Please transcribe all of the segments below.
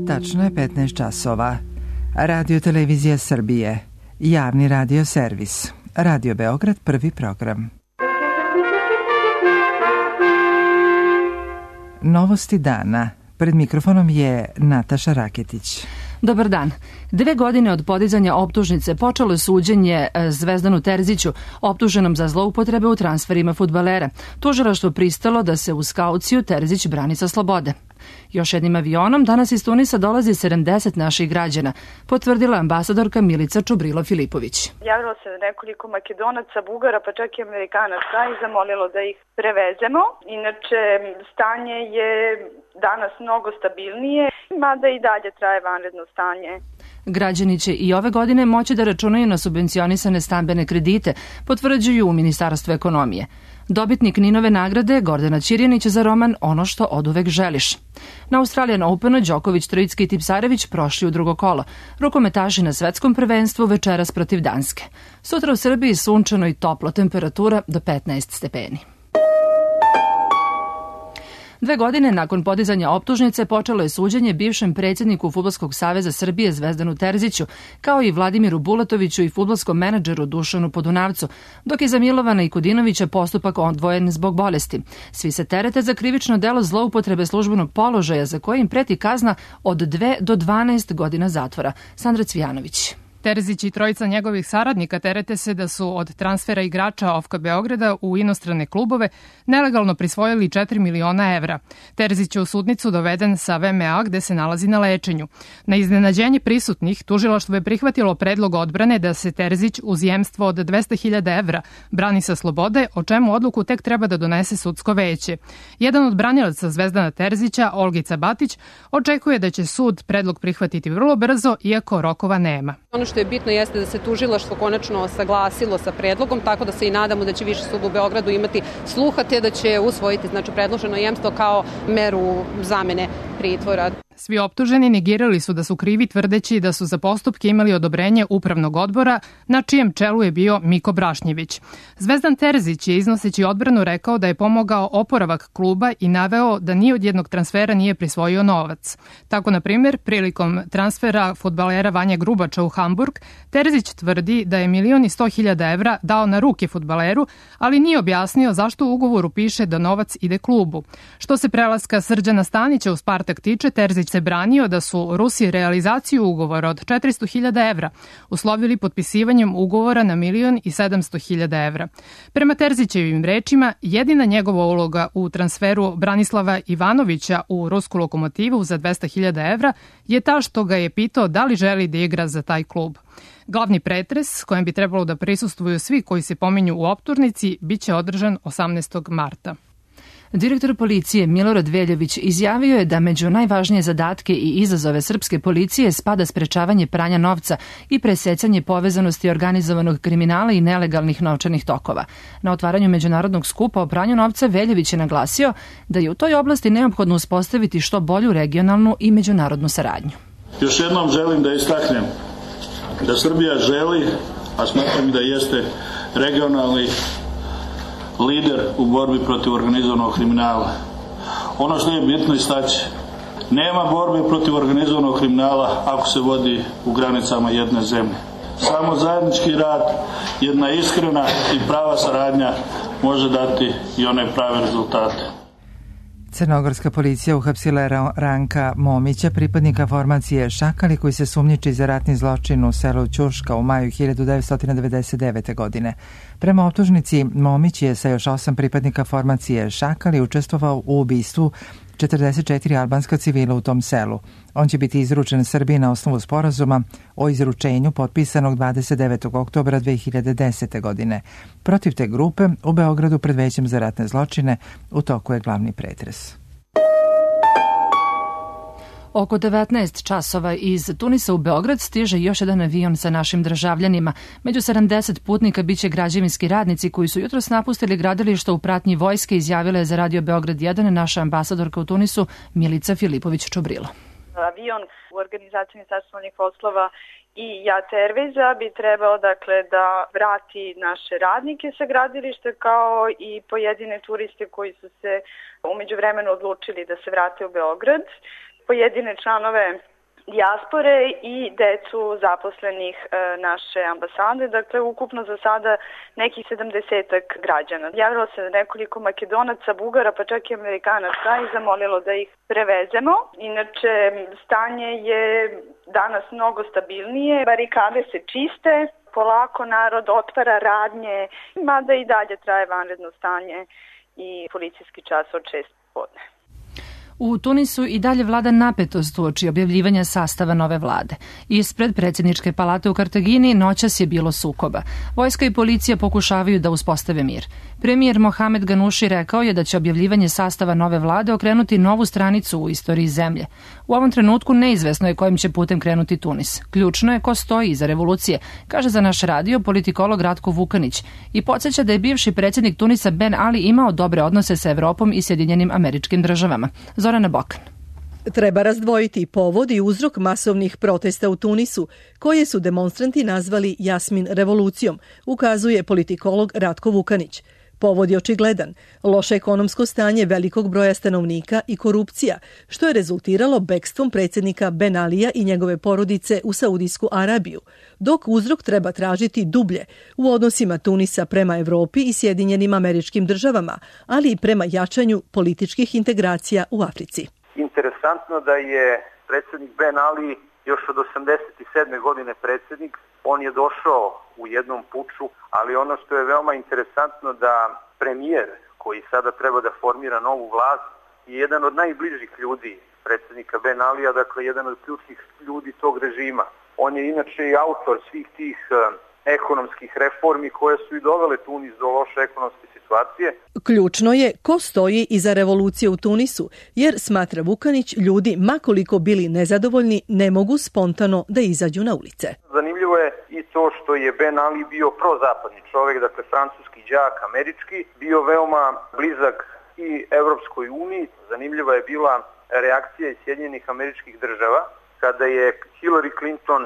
Tačno je 15 časova. Radio Televizija Srbije. Javni radio servis. Radio Beograd, prvi program. Novosti dana. Pred mikrofonom je Nataša Raketić. Dobar dan. 2 godine od podizanja optužnice počelo je suđenje Zvezdanu Terziću, optuženom za zloupotrebe u transferima fudbalera. Tužilaštvo pristalo da se uz kauciju Terzić brani sa slobode. Još jednim avionom danas iz Tunisa dolazi 70 naših građana, potvrdila ambasadorka Milica Čubrilo-Filipović. Javilo se nekoliko Makedonaca, Bugara, pa čak i Amerikanaca i zamolilo da ih prevezemo. Inače, stanje je danas mnogo stabilnije, mada i dalje traje vanredno stanje. Građani će i ove godine moći da računaju na subvencionisane stambene kredite, potvrđuju u Ministarstvu ekonomije. Dobitnik Ninove nagrade Gordana Ćirjanića za roman Ono što oduvek želiš. Na Australian Openu Đoković, Trojicki i Tipsarević prošli u drugo kolo. Rukometaši na svetskom prvenstvu večeras protiv Danske. Sutra u Srbiji sunčano i toplo, temperatura do 15 stepeni. 2 godine nakon podizanja optužnice počelo je suđenje bivšem predsjedniku Fudbalskog saveza Srbije Zvezdanu Terziću, kao i Vladimiru Bulatoviću i fudbalskom menadžeru Dušanu Podunavcu, dok je za Milovana i Kudinovića postupak odvojen zbog bolesti. Svi se terete za krivično delo zloupotrebe službenog položaja, za koje im preti kazna od 2 do 12 godina zatvora. Sandra Cvijanović. Terzić i trojica njegovih saradnika terete se da su od transfera igrača OFK Beograda u inostrane klubove nelegalno prisvojili 4 miliona evra. Terzić je u sudnicu doveden sa VMA gde se nalazi na lečenju. Na iznenađenje prisutnih, tužilaštvo je prihvatilo predlog odbrane da se Terzić uz jemstvo od 200.000 evra brani sa slobode, o čemu odluku tek treba da donese sudsko veće. Jedan od branilaca Zvezdana Terzića, Olgica Batić, očekuje da će sud predlog prihvatiti vrlo brzo, iako rokova nema. Ono što je bitno jeste da se tužilaštvo konačno saglasilo sa predlogom, tako da se i nadamo da će Viši sud u Beogradu imati sluha te da će usvojiti predloženo jemstvo kao meru zamene pritvora. Svi optuženi negirali su da su krivi, tvrdeći da su za postupke imali odobrenje upravnog odbora, na čijem čelu je bio Miko Brašnjević. Zvezdan Terzić je iznoseći odbranu rekao da je pomogao oporavak kluba i naveo da ni od jednog transfera nije prisvojio novac. Tako, na primjer, prilikom transfera fudbalera Vanja Grubača u Hamburg, Terzić tvrdi da je 1.100.000 evra dao na ruke fudbaleru, ali nije objasnio zašto u ugovoru piše da novac ide klubu. Što se prelaska Srđana Stanića u Spartak tiče, Terzić se branio da su Rusi realizaciju ugovora od 400.000 evra uslovili potpisivanjem ugovora na 1.700.000 evra. Prema Terzićevim rečima, jedina njegova uloga u transferu Branislava Ivanovića u rusku Lokomotivu za 200.000 evra je ta što ga je pitao da li želi da igra za taj klub. Glavni pretres, kojem bi trebalo da prisustvuju svi koji se pominju u optužnici, biće održan 18. marta. Direktor policije Milorad Veljović izjavio je da među najvažnije zadatke i izazove srpske policije spada sprečavanje pranja novca i presecanje povezanosti organizovanog kriminala i nelegalnih novčanih tokova. Na otvaranju međunarodnog skupa o pranju novca Veljović je naglasio da je u toj oblasti neophodno uspostaviti što bolju regionalnu i međunarodnu saradnju. Još jednom želim da istaknem da Srbija želi, a smatram da jeste regionalni lider u borbi protiv organizovanog kriminala. Ono što je bitno istaći, nema borbe protiv organizovanog kriminala ako se vodi u granicama jedne zemlje. Samo zajednički rad, jedna iskrena i prava saradnja može dati i one prave rezultate. Crnogorska policija uhapsila je Ranka Momića, pripadnika formacije Šakali, koji se sumnjiči za ratni zločin u selu Ćurška u maju 1999. godine. Prema optužnici, Momić je sa još 8 pripadnika formacije Šakali učestvovao u ubistvu 44 albanska civila u tom selu. On će biti izručen Srbiji na osnovu sporazuma o izručenju potpisanog 29. oktobra 2010. godine. Protiv te grupe u Beogradu pred Većem za ratne zločine u toku je glavni pretres. Oko 19 časova iz Tunisa u Beograd stiže još jedan avion sa našim državljanima. Među 70 putnika biće građevinski radnici koji su jutros napustili gradilište u pratnji vojske, izjavila je za Radio Beograd 1 naša ambasadorka u Tunisu Milica Filipović-Čubrilo. Avion u organizaciji Ministarstva spoljnih poslova i JAT Airwaysa bi trebao da vrati naše radnike sa gradilišta kao i pojedine turiste koji su se umeđu vremenu odlučili da se vrate u Beograd. Pojedine članove dijaspore i decu zaposlenih naše ambasade. Dakle, ukupno za sada nekih 70-ak građana. Javilo se nekoliko Makedonaca, Bugara, pa čak i Amerikanaca i zamolilo da ih prevezemo. Inače, stanje je danas mnogo stabilnije, barikade se čiste, polako narod otvara radnje, mada i dalje traje vanredno stanje i policijski čas od 6 popodne. U Tunisu i dalje vlada napetost uoči objavljivanja sastava nove vlade. Ispred predsjedničke palate u Kartagini noćas je bilo sukoba. Vojska i policija pokušavaju da uspostave mir. Premijer Mohamed Ganuši rekao je da će objavljivanje sastava nove vlade okrenuti novu stranicu u istoriji zemlje. U ovom trenutku neizvesno je kojim će putem krenuti Tunis. Ključno je ko stoji iza revolucije, kaže za naš radio politikolog Ratko Vukanić i podsjeća da je bivši predsjednik Tunisa Ben Ali imao dobre odnose sa Evropom i Sjedinjenim Američkim Državama. Zorana Bokan. Treba razdvojiti povod i uzrok masovnih protesta u Tunisu, koje su demonstranti nazvali Jasmin revolucijom, ukazuje politikolog Ratko Vukanić. Povod je očigledan, loše ekonomsko stanje velikog broja stanovnika i korupcija, što je rezultiralo bekstvom predsjednika Ben Alija i njegove porodice u Saudijsku Arabiju, dok uzrok treba tražiti dublje u odnosima Tunisa prema Evropi i Sjedinjenim Američkim Državama, ali i prema jačanju političkih integracija u Africi. Interesantno da je predsjednik Ben Ali još od 87. godine predsjednik. On je došao u jednom puču, ali ono što je veoma interesantno da premijer koji sada treba da formira novu vlast je jedan od najbližih ljudi predsjednika Ben Alija, dakle jedan od ključnih ljudi tog režima. On je inače i autor svih tih ekonomskih reformi koje su i dovele Tunis do loše ekonomske situacije. Ključno je ko stoji iza revolucije u Tunisu, jer, smatra Vukanić, ljudi, makoliko bili nezadovoljni, ne mogu spontano da izađu na ulice. Zanimljivo je i to što je Ben Ali bio prozapadni čovjek, dakle francuski đak, američki, bio veoma blizak i Evropskoj uniji. Zanimljiva je bila reakcija iz Sjedinjenih Američkih Država, kada je Hillary Clinton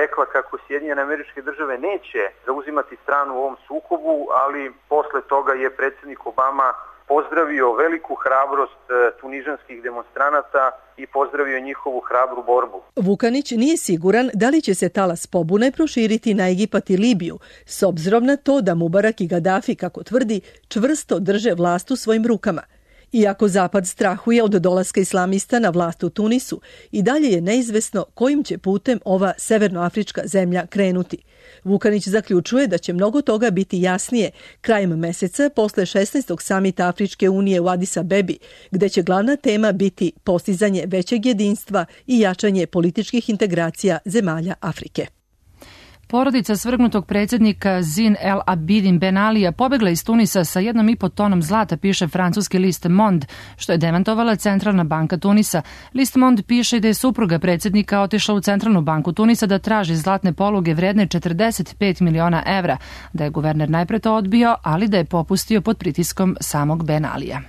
rekla kako Sjedinjene Američke Države neće zauzimati stranu u ovom sukobu, ali posle toga je predsjednik Obama pozdravio veliku hrabrost tunižanskih demonstranata i pozdravio njihovu hrabru borbu. Vukanić nije siguran da li će se talas pobune proširiti na Egipat i Libiju, s obzirom na to da Mubarak i Gaddafi, kako tvrdi, čvrsto drže vlast u svojim rukama. Iako Zapad strahuje od dolaska islamista na vlast u Tunisu, i dalje je neizvesno kojim će putem ova severnoafrička zemlja krenuti. Vukanić zaključuje da će mnogo toga biti jasnije krajem meseca posle 16. samita Afričke unije u Adis Abebi, gde će glavna tema biti postizanje većeg jedinstva i jačanje političkih integracija zemalja Afrike. Porodica svrgnutog predsjednika Zine El Abidin Ben Alija pobegla iz Tunisa sa 1,5 tonom zlata, piše francuski list Monde, što je demantovala Centralna banka Tunisa. List Monde piše da je supruga predsjednika otišla u Centralnu banku Tunisa da traži zlatne poluge vredne 45 miliona evra, da je guverner najpre to odbio, ali da je popustio pod pritiskom samog Ben Alija.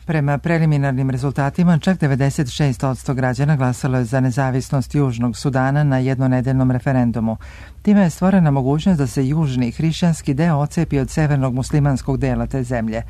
Prema preliminarnim rezultatima, čak 96% građana glasalo je za nezavisnost Južnog Sudana na jednonedeljnom referendumu. Time je stvorena mogućnost da se južni hrišćanski deo ocepi od severnog muslimanskog dela te zemlje.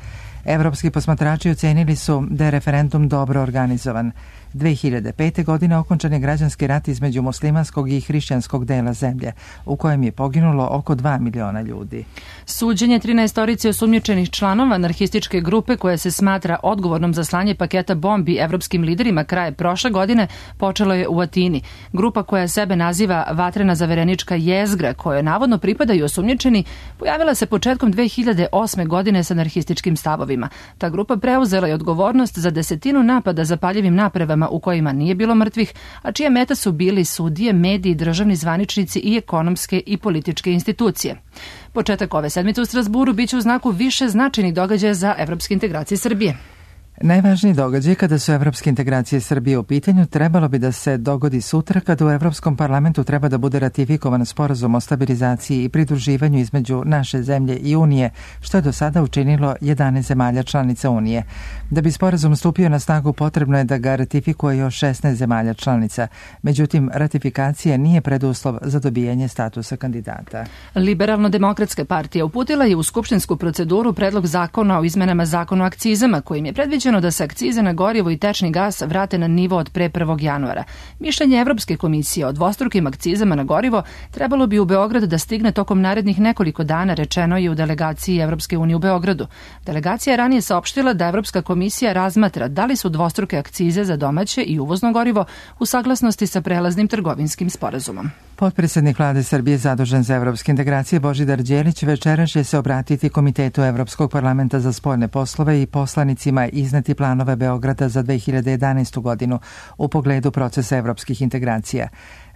Evropski posmatrači ocenili su da je referendum dobro organizovan. 2005. godine okončan je građanski rat između muslimanskog i hrišćanskog dela zemlje, u kojem je poginulo oko 2 miliona ljudi. Suđenje 13 osumnjičenih članova anarhističke grupe koja se smatra odgovornom za slanje paketa bombi evropskim liderima kraje prošle godine počelo je u Atini. Grupa koja sebe naziva Vatrena zaverenička jezgra, kojoj navodno pripadaju osumnjičeni, pojavila se početkom 2008. godine sa anarhističkim stavovima. Ta grupa preuzela je odgovornost za 10 napada zapaljivim napravama u kojima nije bilo mrtvih, a čije meta su bili sudije, mediji, državni zvaničnici i ekonomske i političke institucije. Početak ove sedmice u Strasburu biće u znaku više značajnih događaja za evropske integracije Srbije. Najvažniji događaj kada su evropske integracije Srbije u pitanju trebalo bi da se dogodi sutra kada u Evropskom parlamentu treba da bude ratifikovan sporazum o stabilizaciji i pridruživanju između naše zemlje i Unije, što je do sada učinilo 11 zemalja članica Unije. Da bi sporazum stupio na snagu potrebno je da ga ratifikuje još 16 zemalja članica. Međutim, ratifikacija nije preduslov za dobijanje statusa kandidata. Liberalno-demokratska partija uputila je u skupštinsku proceduru predlog zakona o izmenama zakona o akcizama, kojim je predviđeno predviđeno da se akcize na gorivo i tečni gas vrate na nivo od pre 1. januara. Mišljenje Evropske komisije o dvostrukim akcizama na gorivo trebalo bi u Beograd da stigne tokom narednih nekoliko dana, rečeno je u delegaciji Evropske unije u Beogradu. Delegacija je ranije saopštila da Evropska komisija razmatra da li su dvostruke akcize za domaće i uvozno gorivo u saglasnosti sa prelaznim trgovinskim sporazumom. Potpredsednik Vlade Srbije zadužen za evropske integracije Božidar Đelić večeras će se obratiti Komitetu Evropskog parlamenta za spoljne poslove i poslanicima izneti planove Beograda za 2011. godinu u pogledu procesa evropskih integracija.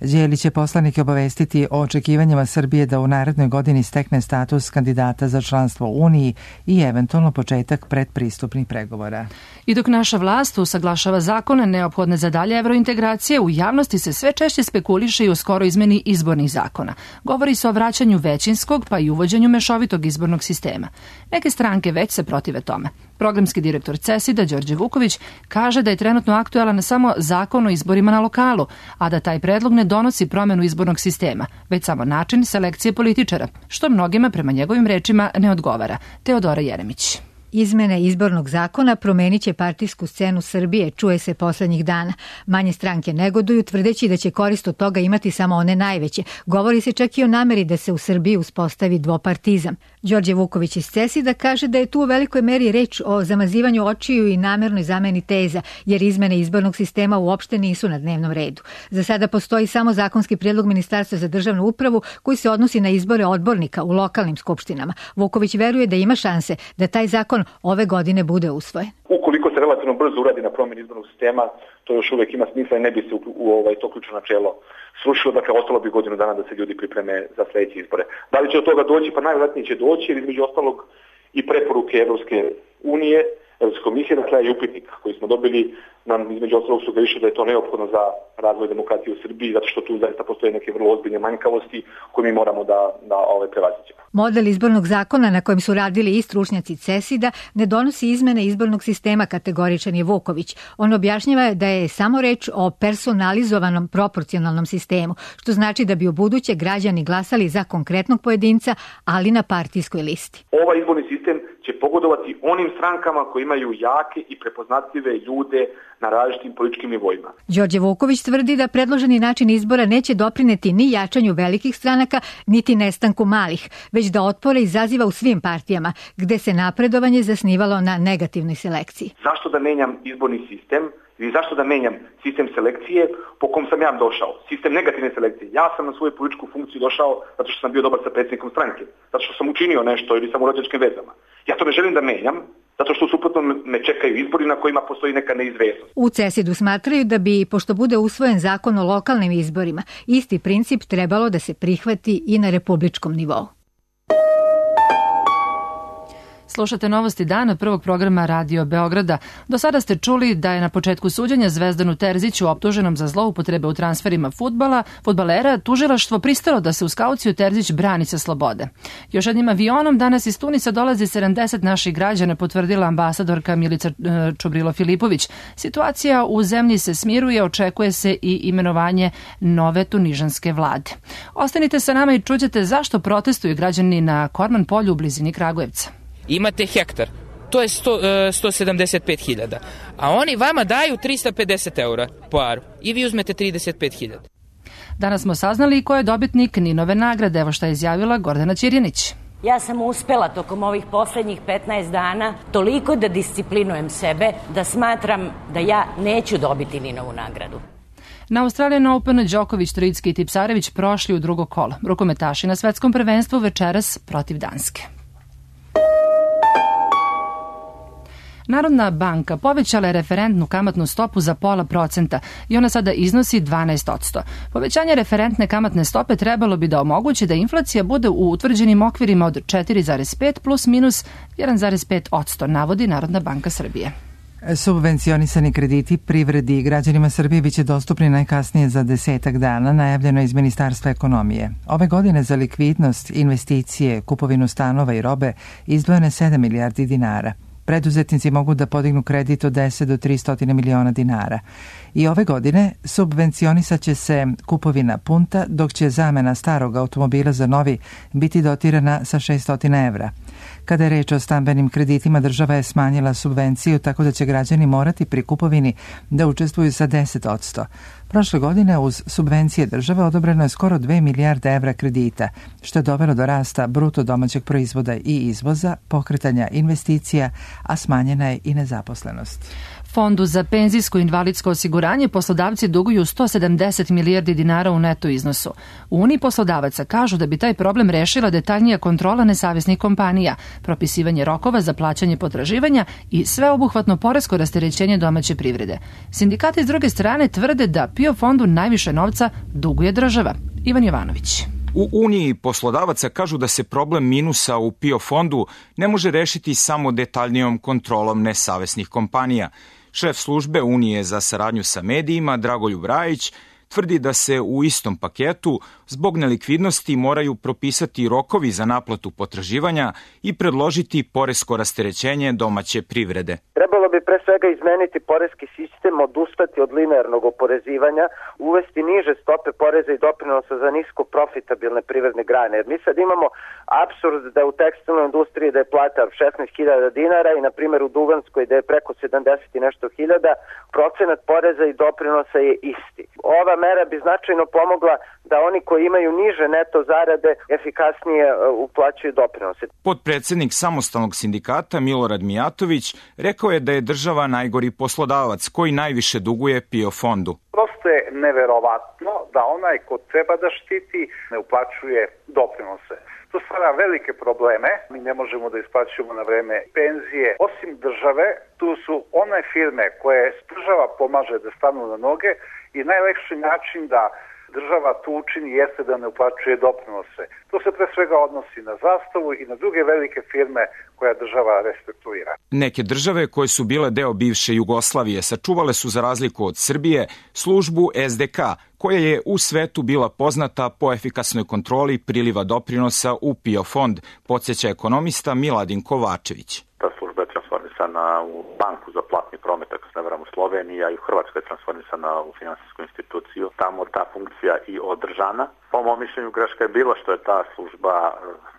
Đelić će poslanike obavestiti o očekivanjima Srbije da u narednoj godini stekne status kandidata za članstvo u Uniji i eventualno početak predpristupnih pregovora. I dok naša vlast usaglašava zakone neophodne za dalje evrointegracije, u javnosti se sve češće spekuliše i o skoro izmeni izbornih zakona. Govori se o vraćanju većinskog pa i uvođenju mešovitog izbornog sistema. Neke stranke već se protive tome. Programski direktor CESID-a Đorđe Vuković kaže da je trenutno aktuelan samo zakon o izborima na lokalu, a da taj predlog ne donosi promenu izbornog sistema, već samo način selekcije političara, što mnogima prema njegovim rečima ne odgovara. Teodora Jeremić. Izmene izbornog zakona promenit će partijsku scenu Srbije, čuje se poslednjih dana. Manje stranke negoduju, tvrdeći da će korist od toga imati samo one najveće. Govori se čak i o nameri da se u Srbiji uspostavi dvopartizam. Đorđe Vuković iz CESID-a kaže da je tu u velikoj meri reč o zamazivanju očiju i namernoj zameni teza, jer izmene izbornog sistema uopšte nisu na dnevnom redu. Za sada postoji samo zakonski prijedlog Ministarstva za državnu upravu koji se odnosi na izbore odbornika u lokalnim skupštinama. Vuković veruje da ima šanse da taj zakon ove godine bude usvojen. Ukoliko se relativno brzo uradi na promjeni izbornog sistema, to još uvijek ima smisla i ne bi se to ključno načelo srušilo, dakle ostalo bi godinu dana da se ljudi pripreme za sljedeće izbore. Da li će od toga doći? Pa najvjerojatnije će doći, jer između ostalog i preporuke Evropske unije, Evropske komisije, dakle i upitnik koji smo dobili nam između ostalog sugeriše da je to neophodno za razvoj demokratije u Srbiji, zato što tu zaista postoje neke vrlo ozbiljne manjkavosti koje mi moramo da prevaziđemo. Model izbornog zakona na kojem su radili i stručnjaci CESID-a ne donosi izmene izbornog sistema, kategoričan je Vuković. On objašnjava da je samo reč o personalizovanom proporcionalnom sistemu, što znači da bi u buduće građani glasali za konkretnog pojedinca, ali na partijskoj listi. Ovaj izborni sistem će pogodovati onim strankama koji imaju jake i prepoznatljive ljude na različitim političkim nivoima. Đorđe Vuković tvrdi da predloženi način izbora neće doprineti ni jačanju velikih stranaka, niti nestanku malih, već da otpore izaziva u svim partijama, gde se napredovanje zasnivalo na negativnoj selekciji. Zašto da menjam izborni sistem i zašto da menjam sistem selekcije po kom sam ja došao? Sistem negativne selekcije. Ja sam na svoju političku funkciju došao zato što sam bio dobar sa predsjednikom stranke, zato što sam učinio nešto ili sam u rođačkim vezama. Ja to ne želim da menjam, zato što suprotno me čekaju izbori na kojima postoji neka neizvesnost. U CESID-u smatraju da bi, pošto bude usvojen zakon o lokalnim izborima, isti princip trebalo da se prihvati i na republičkom nivou. Slušate novosti dana prvog programa Radio Beograda. Do sada ste čuli da je na početku suđenja Zvezdanu Terziću, optuženom za zloupotrebe u transferima fudbalera, tužilaštvo pristalo da se uz kauciju Terzić brani sa slobode. Još jednim avionom danas iz Tunisa dolazi 70 naših građana, potvrdila ambasadorka Milica Čubrilo-Filipović. Situacija u zemlji se smiruje, očekuje se i imenovanje nove tunižanske vlade. Ostanite sa nama i čućete zašto protestuju građani na Korman polju u blizini Kragujevca. Imate hektar, to je 175.000, a oni vama daju 350 eura po aru i vi uzmete 35.000. Danas smo saznali ko je dobitnik Ninove nagrade, evo šta je izjavila Gordana Ćirjanić. Ja sam uspela tokom ovih poslednjih 15 dana toliko da disciplinujem sebe da smatram da ja neću dobiti Ninovu nagradu. Na Australian Open Đoković, Trojicki i Tipsarević prošli u drugo kolo. Rukometaši na svetskom prvenstvu večeras protiv Danske. Narodna banka povećala je referentnu kamatnu stopu za 0,5% i ona sada iznosi 12%. Povećanje referentne kamatne stope trebalo bi da omogući da inflacija bude u utvrđenim okvirima od 4,5 plus minus 1,5%, navodi Narodna banka Srbije. Subvencionisani krediti privredi i građanima Srbije biće dostupni najkasnije za 10 dana, najavljeno iz Ministarstva ekonomije. Ove godine za likvidnost, investicije, kupovinu stanova i robe izdvojeno je 7 milijardi dinara. Preduzetnici mogu da podignu kredit od 10 do 300 miliona dinara. I ove godine subvencionisat će se kupovina punta, dok će zamena starog automobila za novi biti dotirana sa 600 evra. Kada je reč o stambenim kreditima, država je smanjila subvenciju tako da će građani morati pri kupovini da učestvuju sa 10%. Prošle godine uz subvencije države odobreno je skoro 2 milijarde evra kredita, što je dovelo do rasta bruto domaćeg proizvoda i izvoza, pokretanja investicija, a smanjena je i nezaposlenost. Fondu za penzijsko i invalidsko osiguranje poslodavci duguju 170 milijardi dinara u neto iznosu. U Uniji poslodavaca kažu da bi taj problem rešila detaljnija kontrola nesavesnih kompanija, propisivanje rokova za plaćanje potraživanja i sveobuhvatno poresko rasterećenje domaće privrede. Sindikati s druge strane tvrde da PIO fondu najviše novca duguje država. Ivan Jovanović. U Uniji poslodavaca kažu da se problem minusa u PIO fondu ne može rešiti samo detaljnijom kontrolom nesavesnih kompanija. Šef službe Unije za saradnju sa medijima, Dragoljub Rajić, tvrdi da se u istom paketu zbog nelikvidnosti moraju propisati rokovi za naplatu potraživanja i predložiti poresko rasterećenje domaće privrede. Trebalo bi pre svega izmeniti poreski sistem, odustati od linearnog oporezivanja, uvesti niže stope poreza i doprinosa za nisko profitabilne privredne grane. Jer mi sad imamo apsurd da u tekstilnoj industriji da je plata 16.000 dinara i na primjer u Duvanskoj da je preko 70 i nešto hiljada, procenat poreza i doprinosa je isti. Ova mera bi značajno pomogla da oni koji imaju niže neto zarade efikasnije uplaćuju doprinose. Potpredsednik samostalnog sindikata Milorad Mijatović rekao je da je država najgori poslodavac koji najviše duguje PIO fondu. Prosto je neverovatno da onaj ko treba da štiti ne uplaćuje doprinose. To stvara velike probleme. Mi ne možemo da isplaćujemo na vreme penzije. Osim države, tu su one firme koje država pomaže da stanu na noge i najlakši način da država tu učini jeste da ne uplaćuje doprinose. To se pre svega odnosi na Zastavu i na druge velike firme koja država restrukturira. Neke države koje su bile deo bivše Jugoslavije sačuvale su za razliku od Srbije službu SDK, koja je u svetu bila poznata po efikasnoj kontroli priliva doprinosa u PIO fond, podsjeća ekonomista Miladin Kovačević. Ta služba je transformisana u banku za platni promet, ako se ne varam, u Sloveniji, a i u Hrvatskoj je transformisana u finansijsku instituciju. Tamo ta funkcija i održana. Po mom mišljenju greška je bila što je ta služba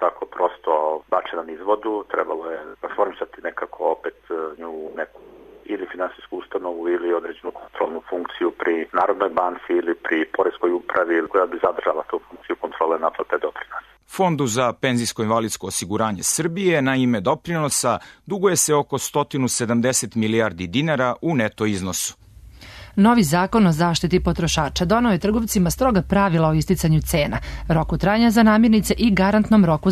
tako prosto bačena niz vodu. Trebalo je transformisati nekako opet nju u neku ili finansijsku ustanovu ili određenu kontrolnu funkciju pri Narodnoj banci ili pri Poreskoj upravi koja bi zadržala tu funkciju kontrole naplate doprinosa. Fondu za penzijsko-invalidsko osiguranje Srbije na ime doprinosa duguje se oko 170 milijardi dinara u neto iznosu. Novi zakon o zaštiti potrošača donao je trgovcima stroga pravila o isticanju cena, roku trajanja za namirnice i garantnom roku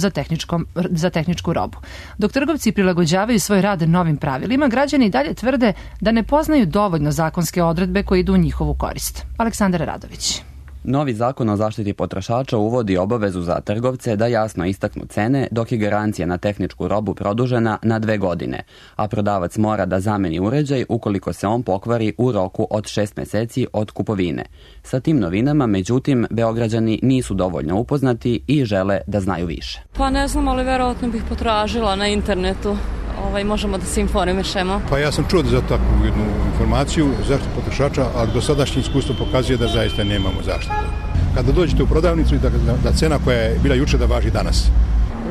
za tehničku robu. Dok trgovci prilagođavaju svoj rad novim pravilima, građani dalje tvrde da ne poznaju dovoljno zakonske odredbe koje idu u njihovu korist. Aleksandar Radović. Novi zakon o zaštiti potrošača uvodi obavezu za trgovce da jasno istaknu cene, dok je garancija na tehničku robu produžena na 2 godine, a prodavac mora da zameni uređaj ukoliko se on pokvari u roku od 6 meseci od kupovine. Sa tim novinama, međutim, Beograđani nisu dovoljno upoznati i žele da znaju više. Pa ne znam, ali verovatno bih potražila na internetu. Možemo da se informišemo. Pa ja sam čuo za takvu jednu informaciju zaštitu potrošača, ali dosadašnje iskustvo pokazuje da zaista nemamo zaštitu. Kada dođete u prodavnicu i da cena koja je bila juče da važi danas.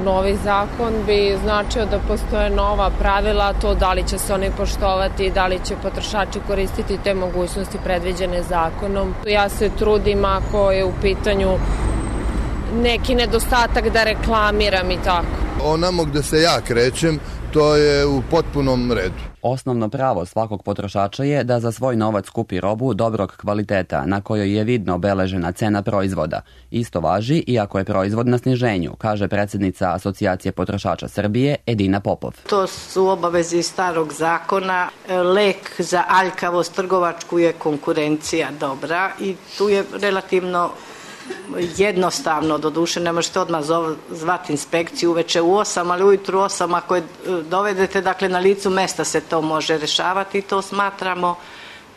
Novi zakon bi značio da postoje nova pravila, to da li će se oni poštovati, da li će potrošači koristiti te mogućnosti predviđene zakonom. Ja se trudim ako je u pitanju neki nedostatak da reklamiram i tako. Onamo gde se ja krećem, to je u potpunom redu. Osnovno pravo svakog potrošača je da za svoj novac kupi robu dobrog kvaliteta na kojoj je vidno obeležena cena proizvoda. Isto važi i ako je proizvod na sniženju, kaže predsjednica Asocijacije potrošača Srbije Edina Popov. To su obaveze iz starog zakona. Lek za aljkavost trgovačku je konkurencija dobra i tu je relativno jednostavno, doduše ne možete odmah zvati inspekciju uveče u 8, ali ujutru 8 ako je dovedete, dakle na licu mesta se to može rešavati i to smatramo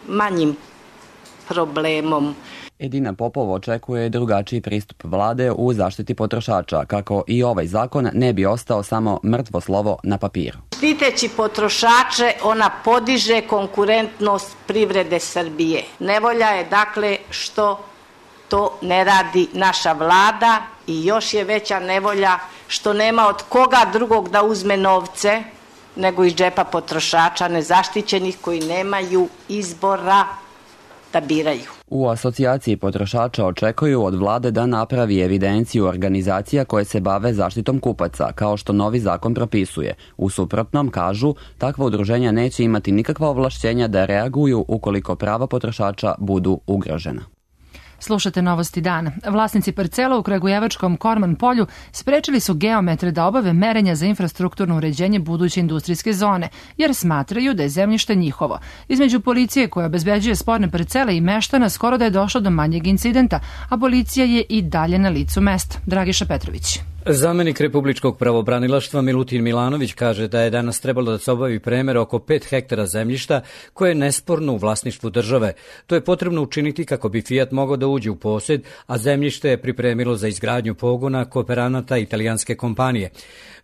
manjim problemom. Edina Popov očekuje drugačiji pristup vlade u zaštiti potrošača, kako i ovaj zakon ne bi ostao samo mrtvo slovo na papiru. Štiteći potrošače, ona podiže konkurentnost privrede Srbije. Nevolja je dakle što to ne radi naša vlada i još je veća nevolja što nema od koga drugog da uzme novce nego iz džepa potrošača nezaštićenih koji nemaju izbora da biraju. U asocijaciji potrošača očekuju od vlade da napravi evidenciju organizacija koje se bave zaštitom kupaca, kao što novi zakon propisuje. U suprotnom, kažu, takva udruženja neće imati nikakva ovlašćenja da reaguju ukoliko prava potrošača budu ugrožena. Slušate Novosti dana. Vlasnici parcela u Kragujevačkom Korman polju sprečili su geometre da obave merenja za infrastrukturno uređenje buduće industrijske zone, jer smatraju da je zemljište njihovo. Između policije koja obezbeđuje sporne parcele i meštana skoro da je došlo do manjeg incidenta, a policija je i dalje na licu mesta. Dragiša Petrović. Zamenik Republičkog pravobranilaštva Milutin Milanović kaže da je danas trebalo da se obavi premer oko 5 hektara zemljišta koje je nesporno u vlasništvu države. To je potrebno učiniti kako bi Fiat mogao da uđe u posjed, a zemljište je pripremilo za izgradnju pogona kooperanata italijanske kompanije.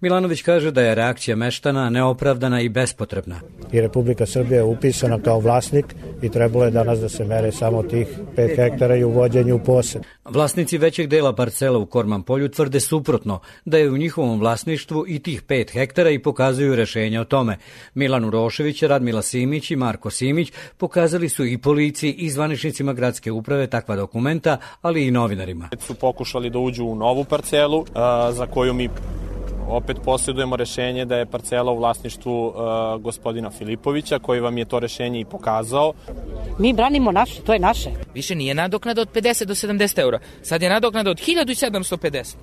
Milanović kaže da je reakcija meštana neopravdana i bespotrebna. I Republika Srbija je upisana kao vlasnik i trebalo je danas da se mere samo tih 5 hektara i uvođenju u posjed. Vlasnici većeg dela parcela u Korman polju tvrde suprotno, da je u njihovom vlasništvu i tih 5 hektara i pokazuju rešenja o tome. Milan Urošević, Radmila Simić i Marko Simić pokazali su i policiji i zvaničnicima gradske uprave takva dokumenta, ali i novinarima. Su pokušali da uđu u novu parcelu za koju mi opet posjedujemo rešenje da je parcela u vlasništvu gospodina Filipovića, koji vam je to rešenje i pokazao. Mi branimo naše, to je naše. Više nije nadoknada od 50 do 70 eura. Sad je nadoknada od 1750.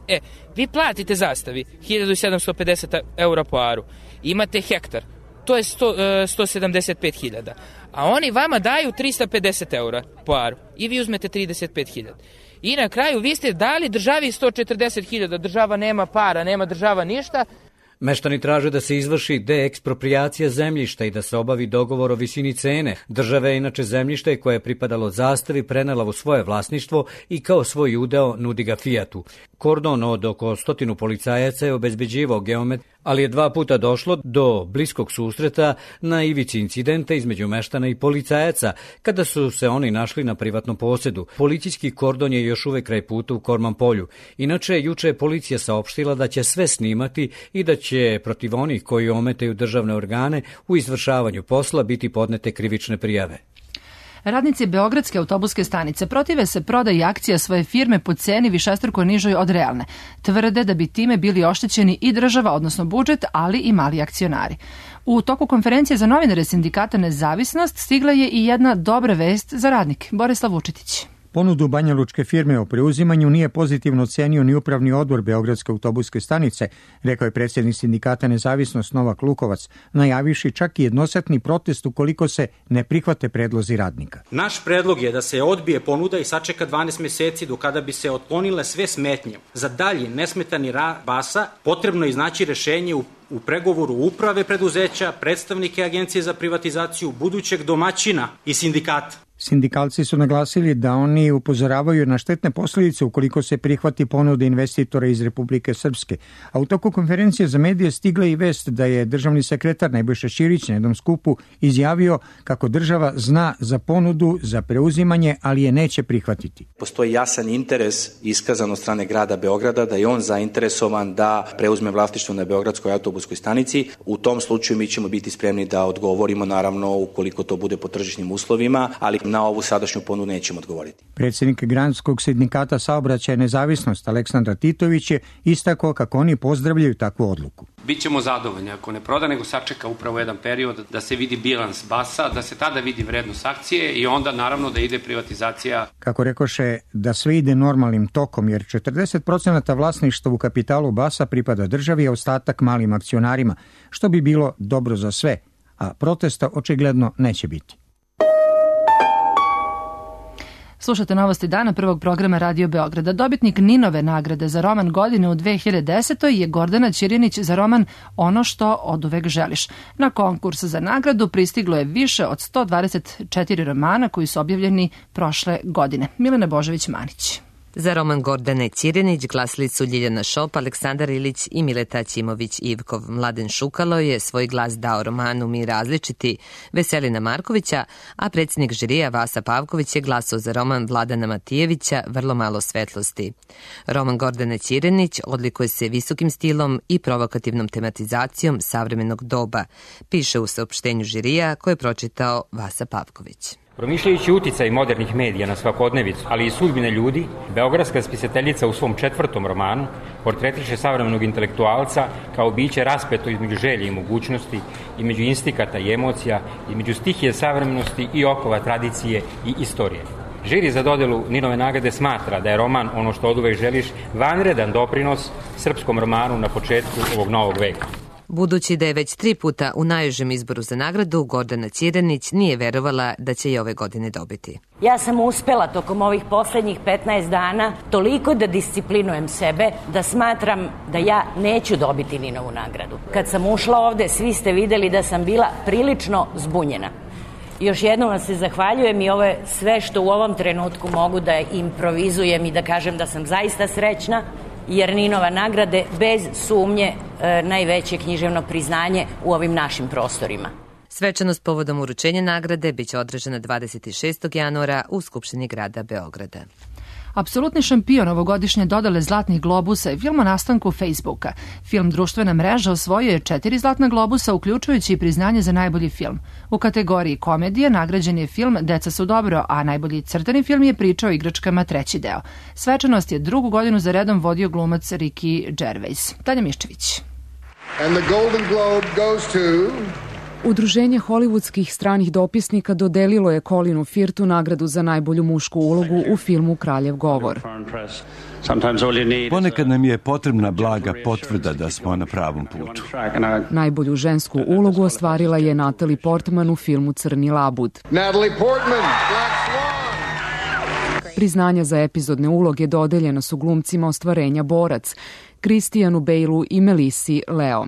Vi platite zastavi 1750 eura po aru. Imate hektar. To je 175.000. A oni vama daju 350 eura po aru. I vi uzmete 35.000. I na kraju vi ste dali državi 140.000, država nema para, nema država ništa. Meštani traže da se izvrši deeksproprijacija zemljišta i da se obavi dogovor o visini cene. Država je inače zemljište koje je pripadalo zastavi prenela u svoje vlasništvo i kao svoj udeo nudi ga Fiatu. Kordon od oko 100 policajaca je obezbeđivao geomet, ali je 2 puta došlo do bliskog susreta na ivici incidenta između meštana i policajaca, kada su se oni našli na privatnom posjedu. Policijski kordon je još uvek kraj puta u Korman polju. Inače, juče je policija saopštila da će sve snimati i da će protiv onih koji ometaju državne organe u izvršavanju posla biti podnete krivične prijave. Radnici Beogradske autobuske stanice protive se prodaji akcija svoje firme po ceni višestruko nižoj od realne. Tvrde da bi time bili oštećeni i država, odnosno budžet, ali i mali akcionari. U toku konferencije za novinare sindikata Nezavisnost stigla je i jedna dobra vest za radnike. Borislav Vučetić. Ponudu banjalučke firme o preuzimanju nije pozitivno ocenio ni upravni odbor Beogradske autobuske stanice, rekao je predsjednik sindikata Nezavisnost Novak Lukovac, najavivši čak i jednosetni protest ukoliko se ne prihvate predlozi radnika. Naš predlog je da se odbije ponuda i sačeka 12 meseci do kada bi se otklonile sve smetnje. Za dalji nesmetani rad Basa potrebno je iznaći rešenje u pregovoru uprave preduzeća, predstavnike Agencije za privatizaciju, budućeg domaćina i sindikata. Sindikalci su naglasili da oni upozoravaju na štetne posljedice ukoliko se prihvati ponuda investitora iz Republike Srpske. A u toku konferencije za medije stigla i vest da je državni sekretar Nebojša Ćirić na jednom skupu izjavio kako država zna za ponudu za preuzimanje, ali je neće prihvatiti. Postoji jasan interes iskazan od strane grada Beograda da je on zainteresovan da preuzme vlasništvo na Beogradskoj autobuskoj stanici. U tom slučaju mi ćemo biti spremni da odgovorimo, naravno ukoliko to bude po tržišnim uslovima, ali na ovu sadašnju ponudu nećemo odgovoriti. Predsjednik Granskog sindikata saobraćaja Nezavisnost Aleksandar Titović je istakao kako oni pozdravljaju takvu odluku. Bićemo zadovoljni ako ne proda, nego sačeka upravo jedan period da se vidi bilans Basa, da se tada vidi vrednost akcije i onda naravno da ide privatizacija. Kako rekoše, da sve ide normalnim tokom, jer 40% vlasništva u kapitalu Basa pripada državi, a ostatak malim akcionarima, što bi bilo dobro za sve, a protesta očigledno neće biti. Slušate Novosti dana prvog programa Radio Beograda. Dobitnik Ninove nagrade za roman godine u 2010. je Gordana Ćirjanić za roman Ono što oduvek želiš. Na konkurs za nagradu pristiglo je više od 124 romana koji su objavljeni prošle godine. Milena Božović-Manić. Za roman Gordane Ćirinić glasili su Ljiljana Šop, Aleksandar Ilić i Mileta Ćimović-Ivkov. Mladen Šukalo je svoj glas dao romanu Mi različiti Veselina Markovića, a predsjednik žirija Vasa Pavković je glasao za roman Vladana Matijevića Vrlo malo svetlosti. Roman Gordane Ćirinić odlikuje se visokim stilom i provokativnom tematizacijom savremenog doba, piše u saopštenju žirija koje je pročitao Vasa Pavković. Promišljajući uticaj modernih medija na svakodnevicu, ali i sudbine ljudi, beogradska spisateljica u svom 4. romanu portretiše savremenog intelektualca kao biće raspeto između želje i mogućnosti, između instikata i emocija, između stihije savremenosti i okova tradicije i istorije. Žiri za dodelu Ninove nagrade smatra da je roman Ono što oduvek želiš vanredan doprinos srpskom romanu na početku ovog novog veka. Budući da je već 3 puta u najužem izboru za nagradu, Gordana Ćirinić nije verovala da će je ove godine dobiti. Ja sam uspela tokom ovih poslednjih 15 dana toliko da disciplinujem sebe da smatram da ja neću dobiti Ninovu nagradu. Kad sam ušla ovde, svi ste videli da sam bila prilično zbunjena. Još jednom vam se zahvaljujem i ovo je sve što u ovom trenutku mogu da improvizujem i da kažem da sam zaista srećna, jer Ninova nagrade bez sumnje najveće književno priznanje u ovim našim prostorima. Svečanost povodom uručenja nagrade biće održana 26. januara u Skupštini grada Beograda. Apsolutni šampion ovogodišnje dodale Zlatnih globusa je film o nastanku Facebooka. Film Društvena mreža osvojio je 4 Zlatna globusa, uključujući i priznanje za najbolji film. U kategoriji komedije nagrađen je film Deca su dobro, a najbolji crtani film je Priča o igračkama 3. deo. Svečanost je 2. godinu za redom vodio glumac Ricky Gervais. Tanja Miščević. And the Golden Globe goes to... Udruženje hollywoodskih stranih dopisnika dodelilo je Colinu Firthu nagradu za najbolju mušku ulogu u filmu Kraljev govor. Ponekad nam je potrebna blaga potvrda da smo na pravom putu. Najbolju žensku ulogu ostvarila je Natalie Portman u filmu Crni labud. Natalie Portman, Black Swan. Priznanja za epizodne uloge dodeljena su glumcima ostvarenja Borac, Christianu Baleu i Melissi Leo.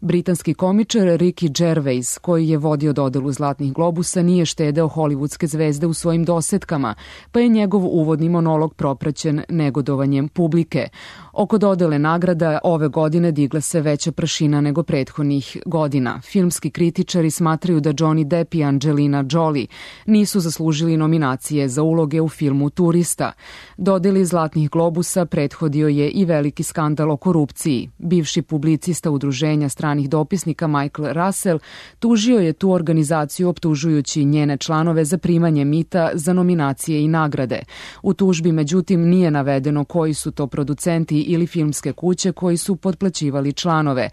Britanski komičar Ricky Gervais, koji je vodio dodelu Zlatnih globusa, nije štedeo hollywoodske zvezde u svojim dosetkama, pa je njegov uvodni monolog propraćen negodovanjem publike. Oko dodele nagrada ove godine digla se veća prašina nego prethodnih godina. Filmski kritičari smatraju da Johnny Depp i Angelina Jolie nisu zaslužili nominacije za uloge u filmu Turista. Dodeli Zlatnih globusa prethodio je i veliki skandal o korupciji. Bivši publicista udruženja stranih dopisnika Michael Russell tužio je tu organizaciju optužujući njene članove za primanje mita za nominacije i nagrade. U tužbi međutim nije navedeno koji su to producenti ili filmske kuće koji su potplaćivali članove.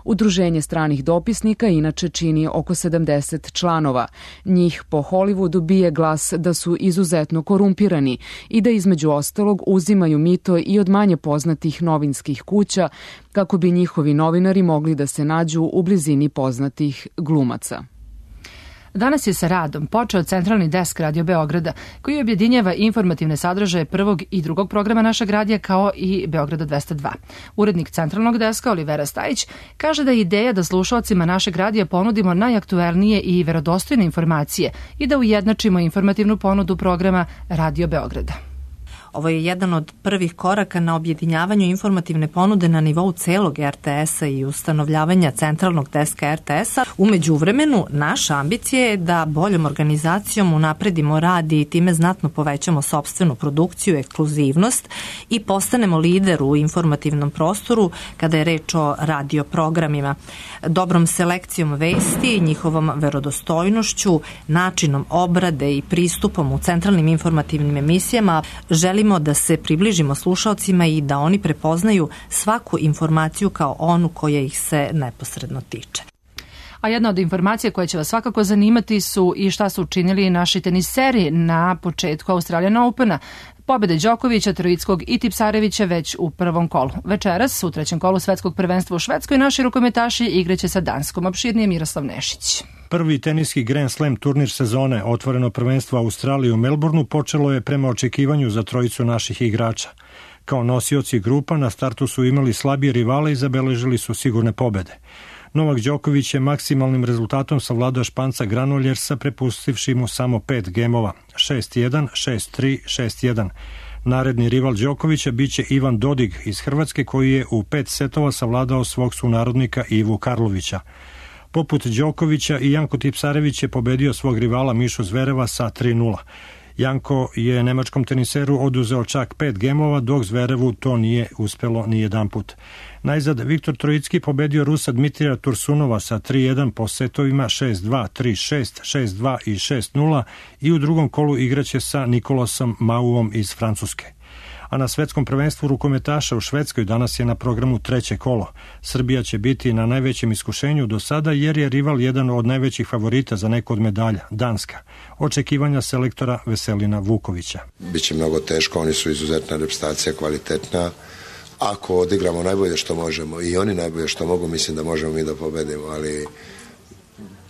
Udruženje stranih dopisnika inače čini oko 70 članova. Njih po Hollywoodu bije glas da su izuzetno korumpirani i da između ostalog uzimaju mito i od manje poznatih novinskih kuća kako bi njihovi novinari mogli da se nađu u blizini poznatih glumaca. Danas je sa radom počeo centralni desk Radio Beograda, koji objedinjava informativne sadržaje 1. i 2. programa našeg radija kao i Beograda 202. Urednik centralnog deska Olivera Stajić kaže da je ideja da slušalcima našeg radija ponudimo najaktuelnije i verodostojne informacije i da ujednačimo informativnu ponudu programa Radio Beograda. Ovo je jedan od prvih koraka na objedinjavanju informativne ponude na nivou celog RTS-a i ustanovljavanja centralnog deska RTS-a. U međuvremenu, naša ambicija je da boljom organizacijom unapredimo rad i time znatno povećamo sopstvenu produkciju, ekskluzivnost i postanemo lider u informativnom prostoru kada je reč o radio programima. Dobrom selekcijom vesti, njihovom verodostojnošću, načinom obrade i pristupom u centralnim informativnim emisijama želimo da se približimo slušaocima i da oni prepoznaju svaku informaciju kao onu koja ih se neposredno tiče. A jedna od informacija koja će vas svakako zanimati su i šta su učinili naši teniseri na početku Australian Opena. Pobjede Đokovića, Troickog i Tipsarevića već u prvom kolu. Večeras, u trećem kolu svetskog prvenstva u Švedskoj, naši rukometaši igraće sa Danskom. Opširnije Miroslav Nešić. Prvi teniski Grand Slam turnir sezone, otvoreno prvenstvo Australije u Melbourneu, počelo je prema očekivanju za trojicu naših igrača. Kao nosioci grupa na startu su imali slabije rivale i zabeležili su sigurne pobede. Novak Đoković je maksimalnim rezultatom savladao Španca Granoljersa, prepustivši mu samo 5 gemova, 6-1, 6-3, 6-1. Naredni rival Đokovića biće Ivan Dodig iz Hrvatske, koji je u 5 setova savladao svog sunarodnika Ivu Karlovića. Poput Đokovića i Janko Tipsarević je pobedio svog rivala Mišu Zvereva sa 3:0. Janko je nemačkom teniseru oduzeo čak 5 gemova, dok Zverevu to nije uspelo ni jedan put. Najzad Viktor Trojicki pobedio Rusa Dmitrija Tursunova sa 3:1 po setovima 6:2, 3:6, 6:2 i 6:0 i u drugom kolu igraće sa Nikolasom Mauom iz Francuske. A na svetskom prvenstvu rukometaša u Švedskoj danas je na programu treće kolo. Srbija će biti na najvećem iskušenju do sada jer je rival jedan od najvećih favorita za neku od medalja, Danska. Očekivanja selektora Veselina Vukovića. Biće mnogo teško, oni su izuzetna reprezentacija, kvalitetna. Ako odigramo najbolje što možemo i oni najbolje što mogu, mislim da možemo mi da pobedimo, ali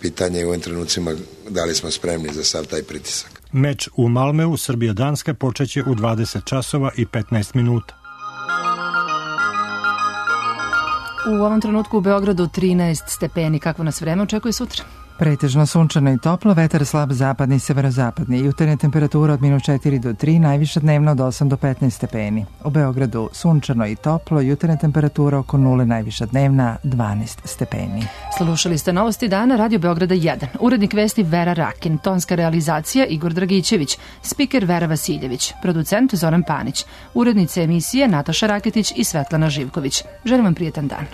pitanje je u ovim trenucima da li smo spremni za sav taj pritisak. Meč u Malmeu, Srbija-Danska, počeće u 20 časova i 15 minuta. U ovom trenutku u Beogradu 13 stepeni. Kako nas vreme očekuje sutra? Pretežno sunčano i toplo, vetar slab zapadni i severozapadni. Jutarnja temperatura od -4 do 3, najviša dnevna od 8 do 15 stepeni. U Beogradu sunčano i toplo, jutarnja temperatura oko 0, najviša dnevna 12 stepeni. Slušali ste Novosti dana Radio Beograda 1. Urednik vesti Vera Rakin, tonska realizacija Igor Dragićević, spiker Vera Vasiljević, producent Zoran Panić, urednice emisije Nataša Raketić i Svetlana Živković. Želim vam prijetan dan.